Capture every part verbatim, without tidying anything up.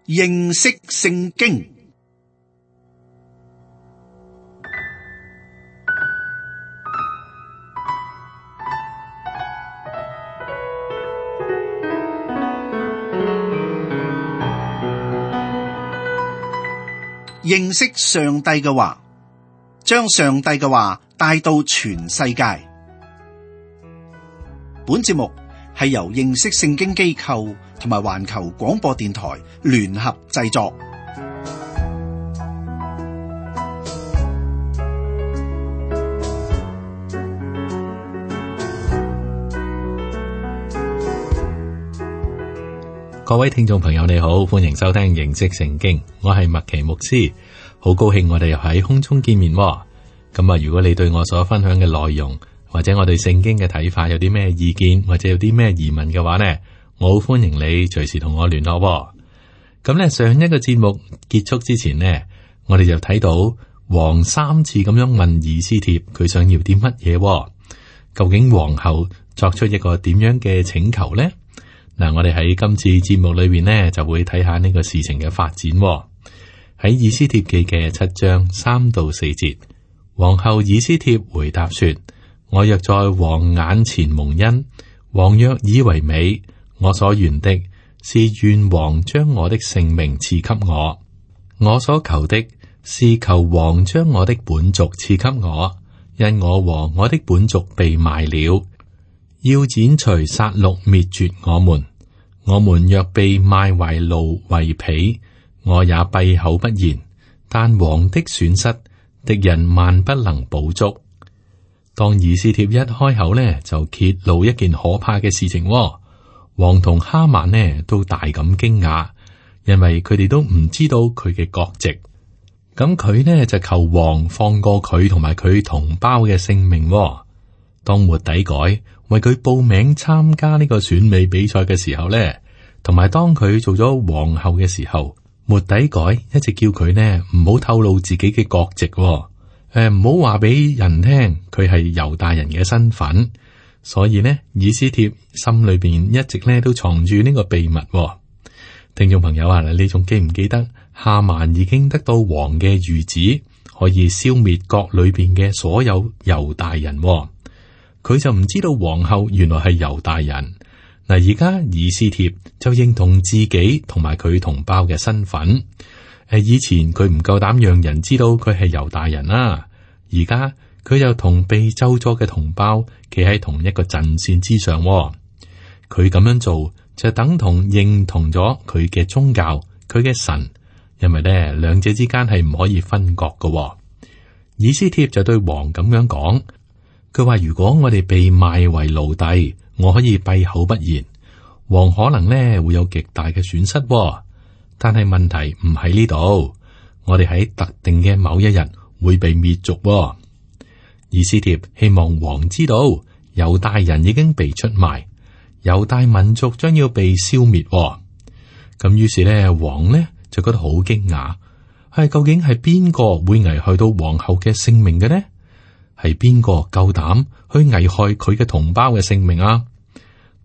認識聖經。認識上帝嘅話，將上帝嘅話帶到全世界。本節目係由認識聖經機構同埋環球廣播電台聯合製作。各位聽眾朋友你好，歡迎收聽認識聖經，我係麥奇牧師，好高興我哋又喺空中見面。咁啊，如果你對我所分享嘅內容或者我對聖經嘅睇法有啲咩意見或者有啲咩疑問嘅話呢，我好歡迎你隨時同我聯絡。咁呢，上一個節目結束之前呢，我哋就睇到王三次咁樣問以斯帖佢想要啲乜嘢，究竟皇后作出一個點樣嘅請求呢？嗱，我哋喺今次節目裏邊呢，就會睇下呢個事情嘅發展。喺以斯帖記嘅七章三到四節，皇后以斯帖回答說：我若在王眼前蒙恩，王若以為美，我所願的是願王將我的性命賜給我。我所求的是求王將我的本族賜給我，因我和我的本族被賣了。要剪除殺戮滅絕我們，我們若被賣為奴為婢，我也閉口不言。但王的損失，敵人萬不能補足。當以斯帖一開口呢，就揭露一件可怕嘅事情。王同哈曼呢都大感驚訝，因為佢哋都唔知道佢嘅國籍。咁佢呢就求王放過佢同埋佢同胞嘅性命。當末底改為佢報名參加呢個選美比賽嘅時候呢，同埋當佢做咗皇后嘅時候，末底改一直叫佢呢唔好透露自己嘅國籍，誒唔好話俾人聽佢係猶大人嘅身份。所以呢，以斯帖心裏邊一直呢都藏住呢個秘密。聽眾朋友啊，你仲記唔記得哈曼已經得到王嘅諭旨，可以消滅國裏邊嘅所有猶大人？佢就唔知道皇后原來係猶大人。嗱，而家以斯帖就認同自己同埋佢同胞嘅身份。誒，以前佢唔夠膽讓人知道佢係猶大人啦，而家佢就同被咒詛嘅同胞企喺同一個陣線之上。佢咁樣做就等同認同咗佢嘅宗教，佢嘅神，因為咧兩者之間係唔可以分割嘅。以斯帖就對王咁樣講。佢話：如果我哋被賣為奴隸，我可以閉口不言，王可能咧會有極大嘅損失。但係問題唔喺呢度，我哋喺特定嘅某一日會被滅族。以斯帖希望王知道，猶大人已經被出賣，猶大民族將要被消滅。咁於是咧，王呢就覺得好驚訝，係究竟係邊個會危害到皇后嘅性命嘅呢？係邊個夠膽去危害佢嘅同胞嘅性命啊？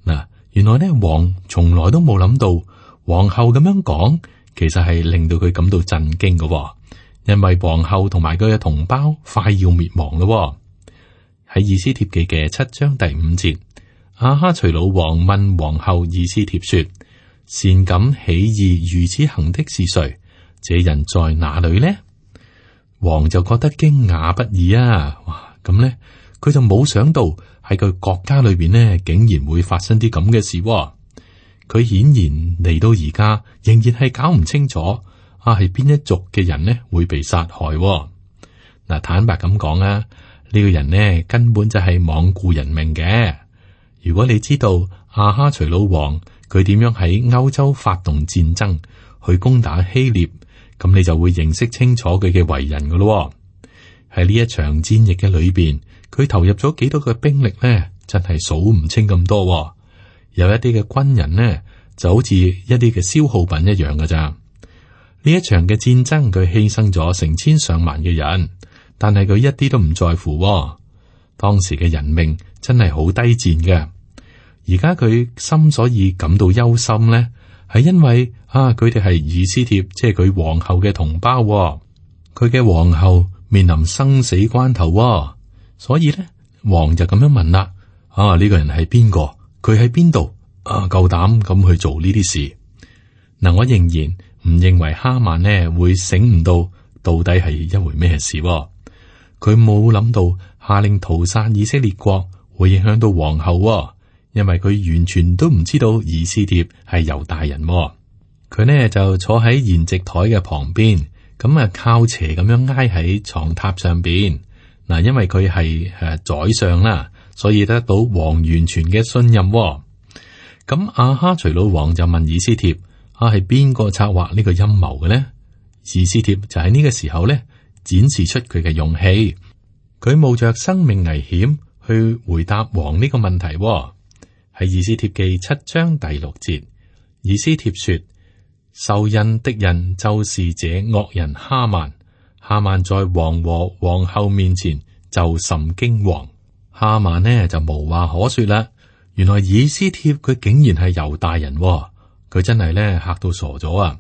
嗱，原來呢，王從來都冇諗到皇后咁樣講，其實係令到佢感到震驚嘅，因為皇后同埋佢嘅同胞快要滅亡咯。喺以斯帖記嘅七章第五節，亞哈隨魯王問皇后以斯帖說：擅敢起意如此行的是誰？這人在哪裏呢？王就覺得驚訝不已啊！哇，咁咧，佢就冇想到喺佢國家裏邊呢，竟然會發生啲咁嘅事。佢顯然嚟到而家，仍然係搞唔清楚啊，係邊一族嘅人呢會被殺害。嗱，坦白咁講啊，呢個人呢根本就係罔顧人命嘅。如果你知道亞哈隨魯王佢點樣喺歐洲發動戰爭去攻打希臘，咁你就會認識清楚佢嘅為人噶咯。喺呢一場戰役嘅裏邊，佢投入咗幾多嘅兵力呢？真係數唔清咁多。有一啲嘅軍人呢，就好似一啲嘅消耗品一樣噶咋。呢一場嘅戰爭，佢犧牲咗成千上萬嘅人，但係佢一啲都唔在乎。當時嘅人命真係好低賤嘅。而家佢心所以感到憂心呢，係因為啊，佢哋係以斯帖，即係佢皇后嘅同胞，佢嘅皇后面臨生死關頭，所以咧，王就咁樣問啦：啊，呢個人係邊個？佢喺邊度？啊，夠膽咁去做呢啲事？嗱，我仍然唔認為哈曼呢會醒唔到到底係一回咩事。佢冇諗到下令屠殺以色列國會影響到皇后，因為佢完全都唔知道以斯帖係猶大人。佢呢就坐喺筵席台嘅旁邊，咁啊靠斜咁樣挨喺床榻上邊。嗱，因為佢係誒宰相啦，所以得到王完全嘅信任。咁亞哈隨魯王就問以斯帖：啊，係邊個策劃呢個陰謀嘅呢？以斯帖就喺呢個時候咧展示出佢嘅勇氣，佢冒着生命危險去回答王呢個問題。喺以斯帖記七章第六節，以斯帖說：受印的人就是這惡人哈曼。哈曼在王和皇后面前就甚驚惶。哈曼呢就無話可說啦。原來以斯帖佢竟然係猶大人，佢真係咧嚇到傻咗啊！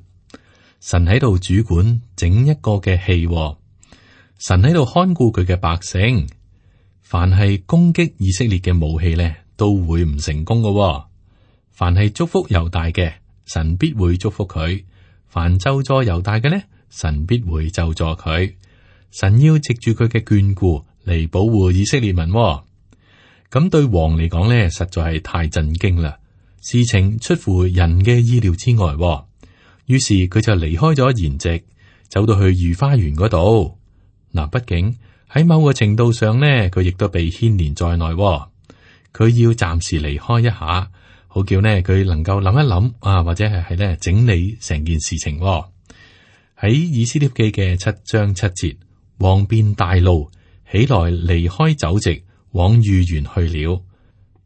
神喺度主管整一個嘅戲，神喺度看顧佢嘅百姓。凡係攻擊以色列嘅武器咧，都會唔成功噶。凡係祝福猶大嘅，神必會祝福佢；凡咒詛猶大嘅咧，神必會咒詛佢。神要藉住佢嘅眷顧嚟保護以色列民。咁對王嚟講咧，實在係太震驚啦！事情出乎人嘅意料之外。於是佢就離開咗筵席，走到去御花園嗰度。嗱，畢竟喺某個程度上呢，佢亦都被牽連在內。佢要暫時離開一下，好叫呢佢能夠諗一諗啊，或者係係咧整理成件事情。喺以斯帖記嘅七章七節，王便大怒，起來離開酒席，往御園去了。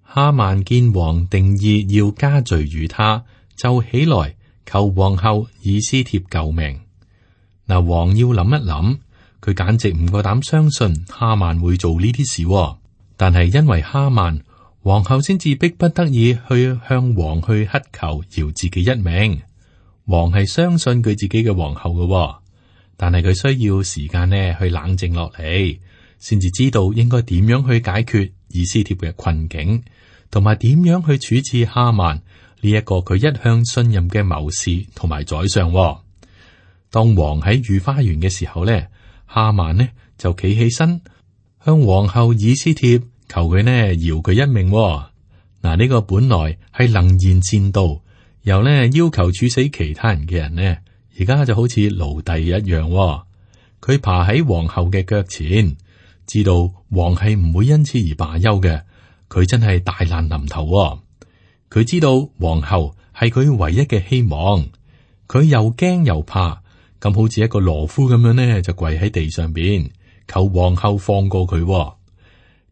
哈曼見王定意要加罪於他，就起來求皇后以斯帖救命。嗱，王要諗一諗，佢簡直唔夠膽相信哈曼會做呢啲事。但係因為哈曼，皇后先至逼不得已去向王去乞求饒自己一命。王係相信佢自己嘅皇后嘅，但係佢需要時間呢去冷靜落嚟，先至知道應該點樣去解決以斯帖嘅困境，同埋點樣去處置哈曼呢一個佢一向信任嘅謀士同埋宰相。當王喺御花園嘅時候呢，哈曼呢就企起身向皇后以斯帖求佢呢饒佢一命。嗱，呢個本來係能言善道，又呢要求處死其他人嘅人呢，而家就好似奴隸一樣。佢爬喺皇后嘅腳前，知道王係唔會因此而罷休嘅。佢真係大難臨頭。佢知道皇后係佢唯一嘅希望，佢又驚又怕，咁好似一個懦夫咁樣呢，就跪喺地上邊求皇后放過佢。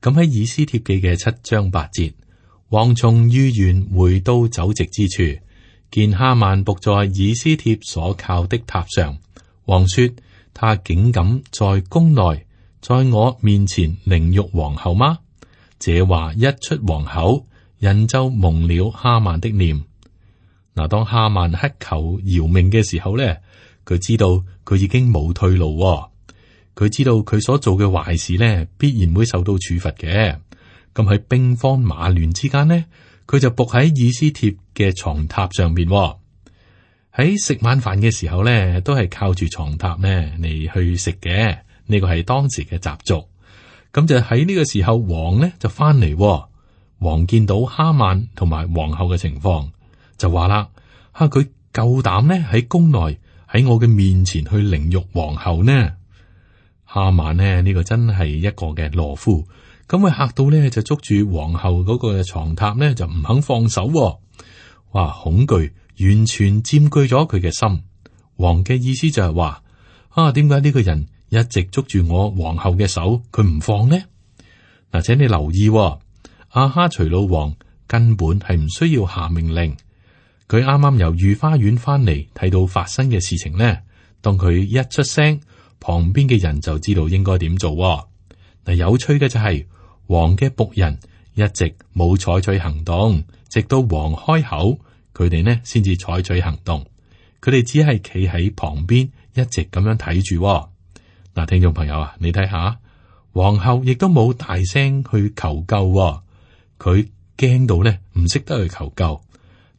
咁喺以斯帖記嘅七章八節，王從御園回到酒席之處，見哈曼伏在以斯帖所靠的榻上。王說：他竟敢在宮內，在我面前凌辱皇后嗎？這話一出王口，人就蒙了哈曼的臉。嗱，當哈曼乞求饒命嘅時候咧，佢知道佢已經冇退路。佢知道佢所做嘅壞事咧，必然會受到處罰嘅。咁喺兵荒馬亂之間呢，佢就伏喺以斯帖嘅床榻上邊。喺食晚飯嘅時候咧，都係靠住床榻咧嚟去食嘅。呢個係當時嘅習俗。咁就喺呢個時候，王呢就翻嚟。王見到哈曼同埋皇后嘅情況，就話啦：吓，佢夠膽呢喺宮內喺我嘅面前去凌辱皇后呢？哈曼呢呢、呢個真係一個嘅懦夫，咁佢嚇到咧就捉住皇后嗰個床榻咧就唔肯放手。哇！恐懼完全佔據咗佢嘅心。王嘅意思就係話：啊，點解呢個人一直捉住我皇后嘅手，佢唔放呢？嗱，請你留意，亞哈隨魯王根本係唔需要下命令。佢啱啱由御花園翻嚟，睇到發生嘅事情呢，當佢一出聲，旁邊嘅人就知道應該點做。嗱，有趣嘅就係、是、王嘅僕人一直冇採取行動，直到王開口，佢哋呢先至採取行動。佢哋只係企喺旁邊，一直咁樣睇住。嗱，聽眾朋友啊，你睇下，皇后亦都冇大聲去求救。佢驚到呢，唔識得去求救。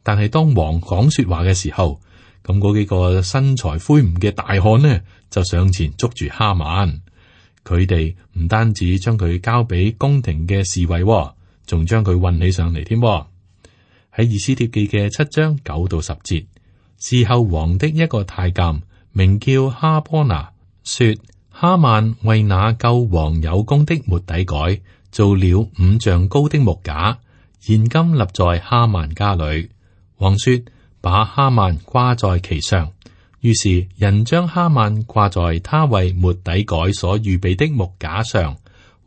但係當王講說話嘅時候，咁嗰幾個身材魁梧嘅大漢呢，就上前捉住哈曼。佢哋唔單止將佢交俾宮廷嘅侍衛，仲將佢運起上嚟添。喺以斯帖記嘅七章九到十節，事後王的一個太監名叫哈波拿，說哈曼為那救王有功的末底改做了五丈高的木架，現今立在哈曼家裏。王說：把哈曼掛在其上。於是人將哈曼掛在他為末底改所預備的木架上。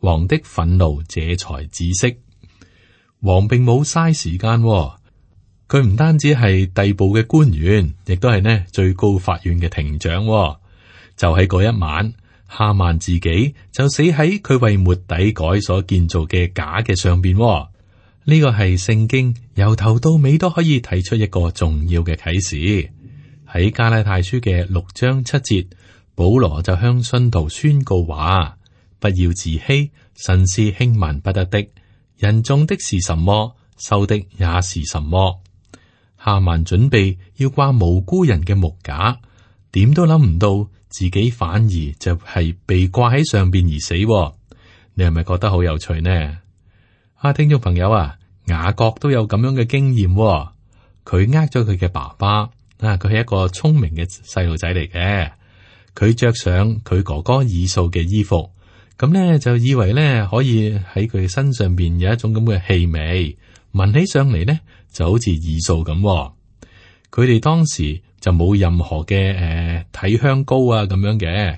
王的憤怒這才止息。王並冇嘥時間，佢唔單止係逮捕嘅官員，亦都係呢最高法院嘅庭長。就喺嗰一晚，哈曼自己就死喺佢為末底改所建造嘅架嘅上邊。呢個係聖經由頭到尾都可以提出一個重要嘅啟示。喺加拉太書嘅六章七節，保羅就向信徒宣告話：不要自欺，神是輕慢不得的。人種的是什麼，收的也是什麼。哈曼準備要掛無辜人嘅木架，點都諗唔到自己反而就係被掛喺上邊而死。你係咪覺得好有趣呢？啊，聽眾朋友啊，雅各都有咁樣嘅經驗。佢呃咗佢嘅爸爸啊，佢係一個聰明嘅細路仔嚟嘅。佢着上佢哥哥以掃嘅衣服，咁咧就以為咧可以喺佢身上邊有一種咁嘅氣味，聞起上嚟咧就好似以掃咁。佢哋當時就冇任何嘅誒體香膏啊咁樣嘅。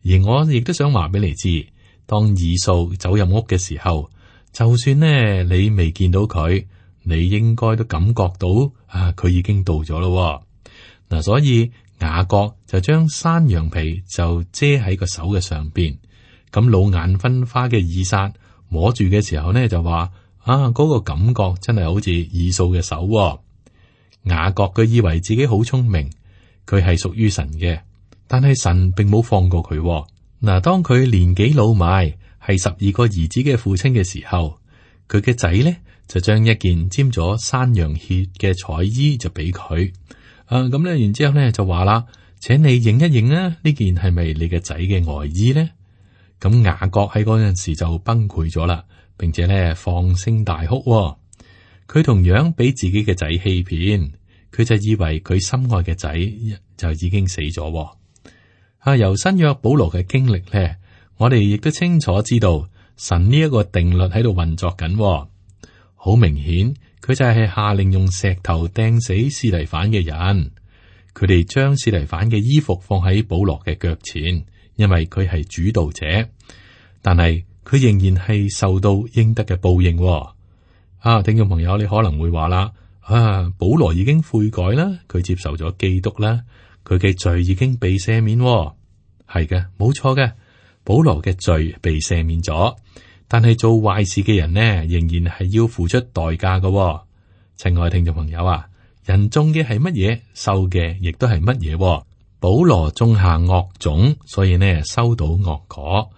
而我亦都想話俾你知，當以掃走入屋嘅時候，就算呢你未見到佢，你應該都感覺到啊，佢已經到咗咯。嗱，所以雅各就將山羊皮就遮喺個手嘅上邊。咁老眼昏花嘅以撒摸住嘅時候呢，就話啊，嗰個感覺真係好似以掃嘅手。雅各佢以為自己好聰明，佢係屬於神嘅，但係神並冇放過佢。嗱，當佢年紀老邁，係十二個兒子嘅父親嘅時候，佢嘅仔呢就將一件沾咗山羊血嘅彩衣就俾佢。啊，咁咧，然之後咧就話啦，請你認一認啊，呢件係咪你嘅仔嘅外衣呢？咁雅各喺嗰陣時就崩潰咗啦，並且咧放聲大哭。佢同樣俾自己嘅仔欺騙，佢就以為佢心愛嘅仔就已經死咗。啊，由新約保羅嘅經歷咧，我哋亦都清楚知道神呢一個定律喺度運作緊。好明顯，佢就係下令用石頭掟死司提反嘅人。佢哋將司提反嘅衣服放喺保羅嘅腳前，因為佢係主導者。但係佢仍然係受到應得嘅報應。啊，聽眾朋友，你可能會話啦，啊，保羅已經悔改啦，佢接受咗基督啦，佢嘅罪已經被赦免。係嘅，冇錯嘅。保羅嘅罪被赦免咗，但係做壞事嘅人呢，仍然係要付出代價嘅。親愛聽眾朋友啊，人種嘅係乜嘢，收嘅亦都係乜嘢。保羅種下惡種，所以呢收到惡果。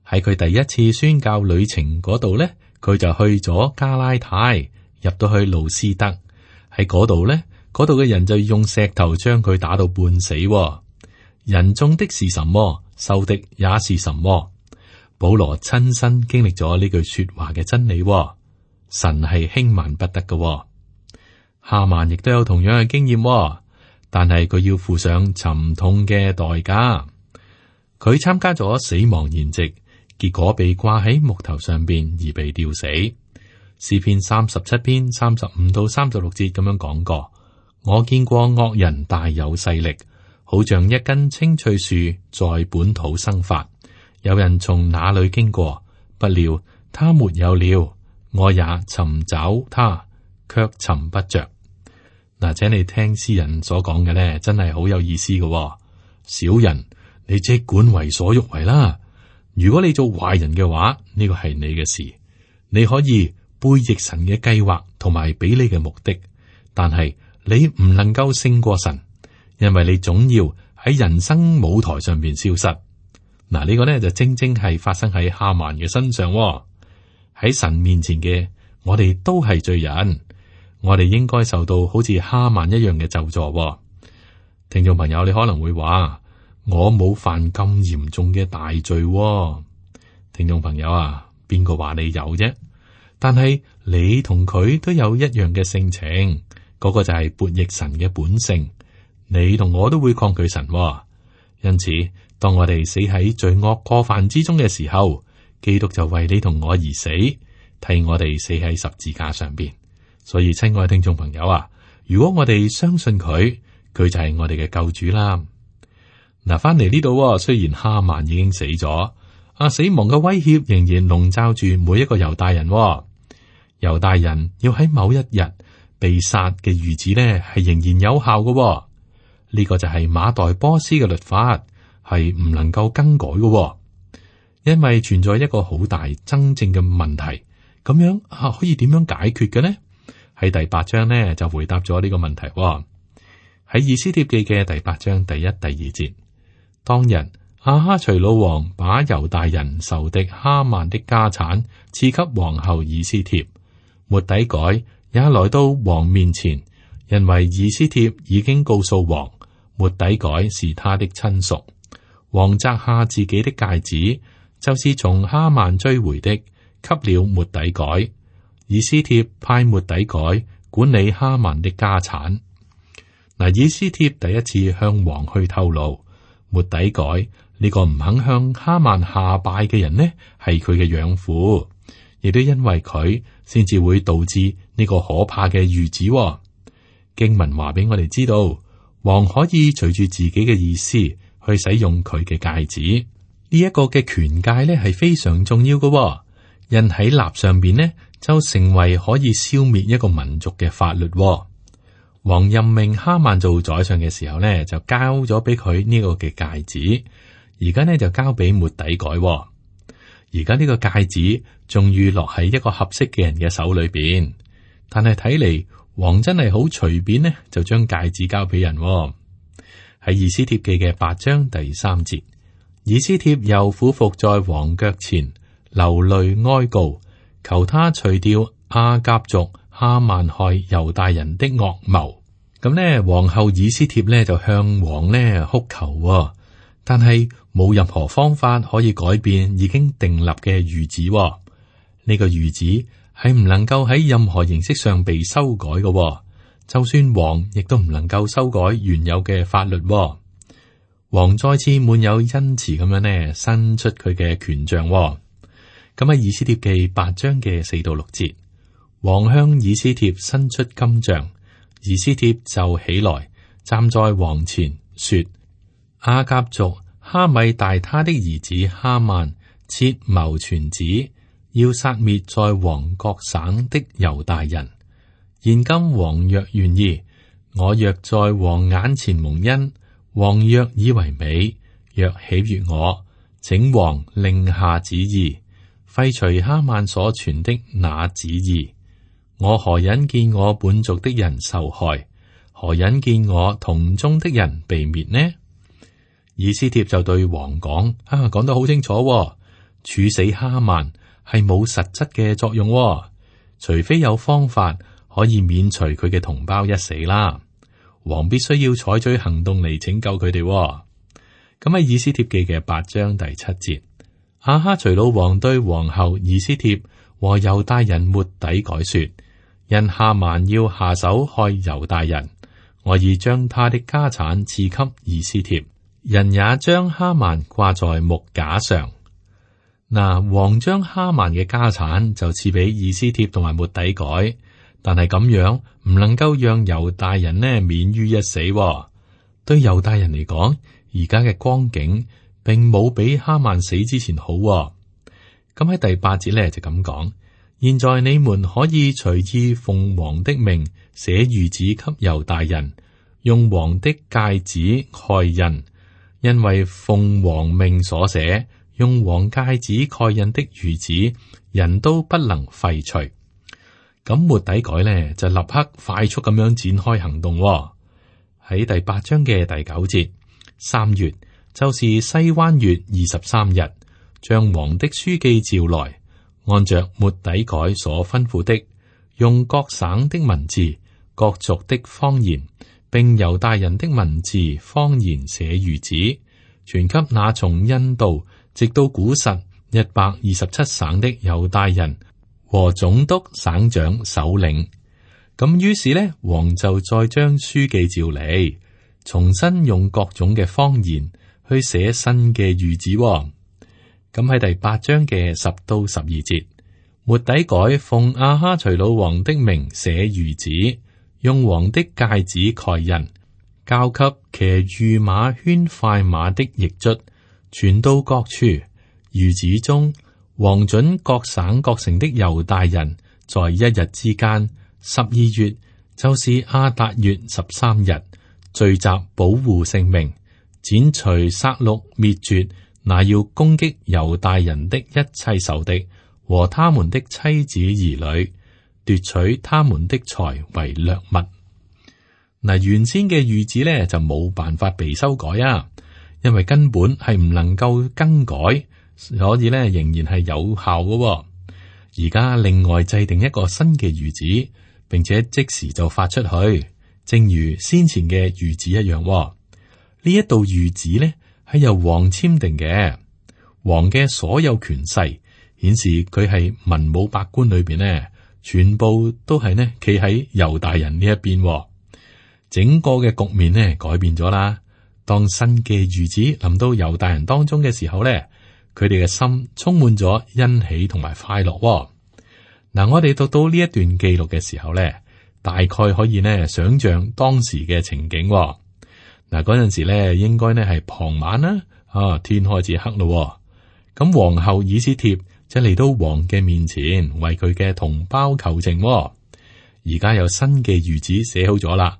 喺佢第一次宣教旅程嗰度呢，佢就去咗加拉太，入到去路斯德。喺嗰度呢，嗰度嘅人就用石頭將佢打到半死。人種的是什麼，收的也是什麼。保羅親身經歷咗呢句說話嘅真理。神係輕慢不得嘅。哈曼亦都有同樣嘅經驗，但係佢要付上沉痛嘅代價。佢參加咗死亡筵席，結果被掛喺木頭上邊而被吊死。詩篇三十七篇三十五到三十六節咁樣講過：我見過惡人大有勢力，好像一根青翠樹在本土生發。有人從那裏經過，不料他沒有了，我也尋找他，卻尋不着。嗱，請你聽詩人所講嘅咧，真係好有意思嘅。小人，你即管為所欲為啦。如果你做壞人嘅話，呢個係你嘅事，你可以背逆神嘅計劃同埋俾你嘅目的，但係你唔能夠勝過神，因為你總要喺人生舞台上邊消失。嗱，呢個呢就正正係發生喺哈曼嘅身上喎。喺神面前嘅我哋都係罪人，我哋應該受到好似哈曼一樣嘅咒詛喎。聽眾朋友，你可能會話我冇犯咁嚴重嘅大罪喎。聽眾朋友啊，邊個話你有啫？但係你同佢都有一樣嘅性情，嗰個就係悖逆神嘅本性。你同我都會抗拒神喎，因此當我哋死喺罪惡過犯之中嘅時候，基督就為你同我而死，替我哋死喺十字架上邊。所以親愛聽眾朋友啊，如果我哋相信佢，佢就係我哋嘅救主啦。嗱，翻嚟呢度，雖然哈曼已經死咗，啊，死亡嘅威脅仍然籠罩住每一個猶大人喎。猶大人要喺某一日被殺嘅諭旨呢，係仍然有效嘅喎。呢個就係馬代波斯嘅律法，係唔能夠更改嘅喎。因為存在一個好大真正嘅問題，咁樣啊可以點樣解決嘅呢？喺第八章呢就回答咗呢個問題喎。喺以斯帖記嘅第八章第一、第二節，當日亞哈隨魯王把猶大人仇敵哈曼的家產賜給皇后以斯帖，末底改也來到王面前，因為以斯帖已經告訴王，末底改是他的親屬。王摘下自己的戒指，就是從哈曼追回的，給了末底改。以斯帖派末底改管理哈曼的家產。嗱，以斯帖第一次向王去透露，末底改呢個唔肯向哈曼下拜嘅人呢，係佢嘅養父，亦都因為佢先至會導致呢個可怕嘅諭旨。經文話俾我哋知道，王可以隨住自己嘅意思去使用佢嘅戒指。呢一個嘅權戒呢係非常重要嘅，印喺立上邊呢就成為可以消滅一個民族嘅法律。王任命哈曼做宰相嘅時候呢，就交咗俾佢呢個嘅戒指，而家呢就交俾末底改。而家呢個戒指終於落喺一個合適嘅人嘅手裏邊，但係睇嚟王真係好隨便呢，就將戒指交俾人。喺以斯帖記嘅八章第三節，以斯帖又俯伏在王腳前，流淚哀告，求他除掉亞甲族哈曼害猶大人的惡謀。咁呢，皇后以斯帖呢就向王呢哭求，但係冇任何方法可以改變已經訂立嘅諭旨。呢個諭旨係唔能夠喺任何形式上被修改嘅，就算王亦都唔能夠修改原有嘅法律。王再次滿有恩慈咁樣呢，伸出佢嘅權杖。咁喺以斯帖記八章嘅四到六節，王向以斯帖伸出金杖，以斯帖就起來站在王前說：亞甲族哈米大他的兒子哈曼設謀傳旨，要殺滅在王各省的猶大人。現今王若願意，我若在王眼前蒙恩，王若以為美，若喜悅我，請王令下旨意，廢除哈曼所傳的那旨意。我何忍見我本族的人受害？何忍見我同宗的人被滅呢？以斯帖就對王講：啊，講得好清楚喎，處死哈曼係冇實質嘅作用喎，除非有方法可以免除佢嘅同胞一死啦。王必須要採取行動嚟拯救佢哋喎。咁喺以斯帖記嘅八章第七節，亞哈隨魯王對皇后以斯帖和猶大人末底改說：因哈曼要下手害猶大人，我已將他的家產賜給以斯帖，人也將哈曼掛在木架上。嗱，王將哈曼嘅家產就賜俾以斯帖同埋末底改，但係咁樣唔能夠讓猶大人呢免於一死喎。對猶大人嚟講，而家嘅光景並冇比哈曼死之前好喎。咁喺第八節咧就咁講：現在你們可以隨意奉王的命寫諭旨給猶大人，用王的戒指蓋印，因為奉王命所寫，用王戒指蓋印的諭旨，人都不能廢除。咁末底改呢就立刻快速咁樣展開行動喎。喺第八章嘅第九節，三月就是西灣月二十三日，將王的書記召來，按着末底改所吩咐的，用各省的文字、各族的方言，並猶大人的文字方言寫諭旨，傳給那從印度直到古實一百二十七省的猶大人和總督、省長、首領。咁於是呢，王就再將書記召嚟，重新用各種嘅方言去寫新嘅諭旨。咁喺第八章嘅十到十二節，末底改奉亞哈隨魯王的名寫諭旨，用王的戒指蓋印，交給騎御馬圈快馬的驛卒，傳到各處。諭旨中，王准各省各城的猶大人，在一日之間，十二月，就是亞達月十三日，聚集保護性命，剪除殺戮滅絕那要攻擊猶大人的一切仇敵和他們的妻子兒女，奪取他們的財為掠物。嗱，原先嘅諭旨咧就冇辦法被修改啊，因為根本係唔能夠更改。所以咧，仍然係有效嘅喎。而家另外制定一個新嘅諭旨，並且即時就發出去，正如先前嘅諭旨一樣喎。呢一道諭旨咧係由王簽訂嘅，王嘅所有權勢顯示佢係文武百官裏邊呢，全部都係呢企喺猶大人呢一邊喎。整個嘅局面呢改變咗啦。當新嘅諭旨臨到猶大人當中嘅時候咧，佢哋嘅心充滿咗欣喜同埋快樂喎。嗱，我哋讀到呢一段記錄嘅時候咧，大概可以呢想象當時嘅情景喎。嗱，嗰陣時咧應該呢係傍晚啦，啊，天開始黑咯。咁皇后以斯帖就嚟到王嘅面前，為佢嘅同胞求情喎。而家有新嘅諭旨寫好咗啦，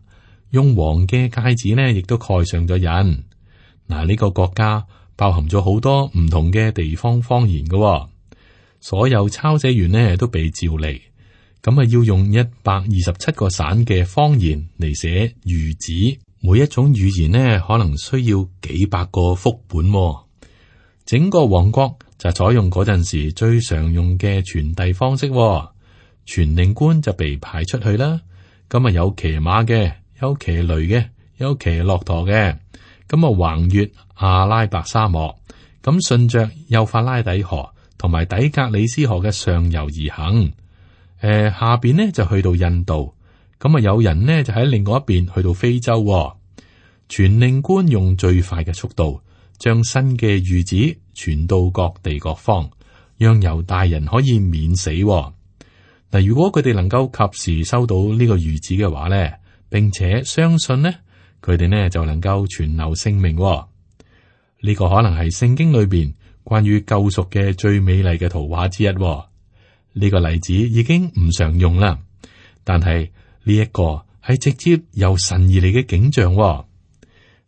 用王嘅戒指呢亦都蓋上咗印。嗱，呢個國家包含咗好多唔同嘅地方方言嘅喎，所有抄寫員呢都被召嚟，咁啊要用一百二十七個省嘅方言嚟寫諭旨，每一種語言呢可能需要幾百個副本喎。整個王國就採用嗰陣時最常用嘅傳遞方式喎，傳令官就被派出去啦。咁啊有騎馬嘅，有騎驢嘅，有騎駱駝嘅。咁啊，橫越阿拉伯沙漠，咁順着幼發拉底河同埋底格里斯河嘅上游而行。誒、呃，下邊呢就去到印度，咁啊有人呢就喺另外一邊去到非洲、哦。傳令官用最快嘅速度，將新嘅諭旨傳到各地各方，讓猶大人可以免死、哦。嗱，如果佢哋能夠及時收到呢個諭旨嘅話咧，並且相信呢。佢哋呢就能夠存留性命、哦。呢、這個可能係聖經裏邊關於救贖嘅最美麗嘅圖畫之一、哦。呢、這個例子已經唔常用啦，但係呢一個係直接由神而嚟嘅景象、哦。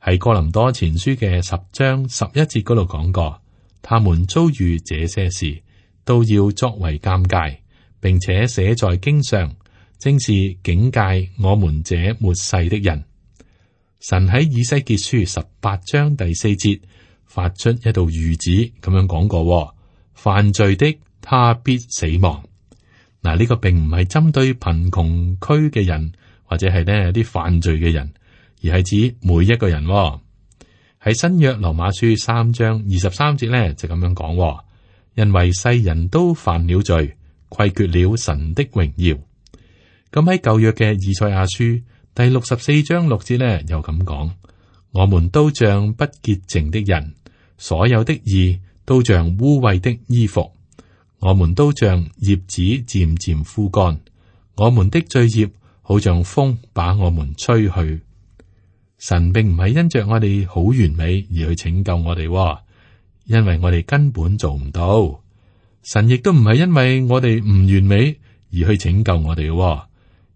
喺哥林多前書嘅十章十一節嗰度講過，他們遭遇這些事，都要作為鑒戒，並且寫在經上，正是警戒我們這末世的人。神喺以西結書十八章第四節發出一道諭旨，咁樣講過：犯罪的他必死亡。嗱，呢個並唔係針對貧窮區嘅人，或者係呢啲犯罪嘅人，而係指每一個人。喺新約羅馬書三章二十三節咧就咁樣講：因為世人都犯了罪，虧缺了神的榮耀。咁喺舊約嘅以賽亞書第六十四章六節咧，又咁講：我們都像不潔淨的人，所有的義都像污穢的衣服，我們都像葉子漸漸枯乾，我們的罪孽好像風把我們吹去。神並唔係因着我哋好完美而去拯救我哋，因為我哋根本做唔到。神亦都唔係因為我哋唔完美而去拯救我哋。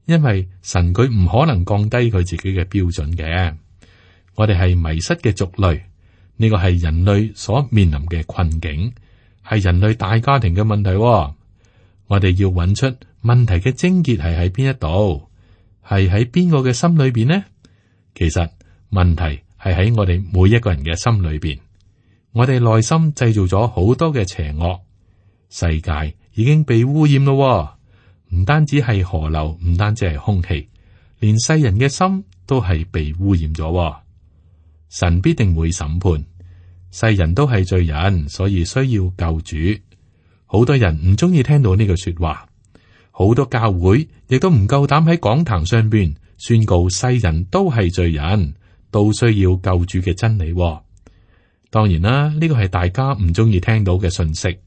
因為神佢唔可能降低佢自己嘅標準嘅，我哋係迷失嘅族類，呢個係人類所面臨嘅困境，係人類大家庭嘅問題。我哋要揾出問題嘅症結係喺邊一度？係喺邊個嘅心裏邊呢？其實問題係喺我哋每一個人嘅心裏邊。我哋內心製造咗好多嘅邪惡，世界已經被污染咯。唔單止係河流，唔單止係空氣，連世人嘅心都係被污染咗。神必定會審判，世人都係罪人，所以需要救主。好多人唔中意聽到呢句說話，好多教會亦都唔夠膽喺講壇上邊宣告世人都係罪人，都需要救主嘅真理。當然啦，呢個係大家唔中意聽到嘅信息。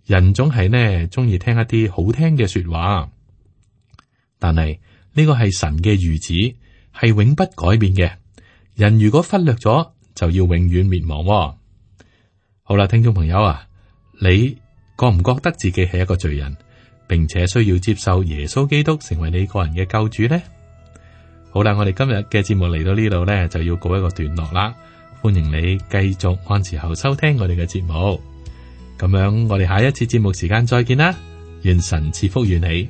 人總係呢中意聽一啲好聽嘅說話，但係呢個係神嘅諭旨，係永不改變嘅。人如果忽略咗，就要永遠滅亡。好啦，聽眾朋友啊，你覺唔覺得自己係一個罪人，並且需要接受耶穌基督成為你個人嘅救主呢？好啦，我哋今日嘅節目嚟到呢度呢，就要告一個段落啦。歡迎你繼續按時候收聽我哋嘅節目。咁樣，我哋下一次節目時間再見啦。願神賜福於你。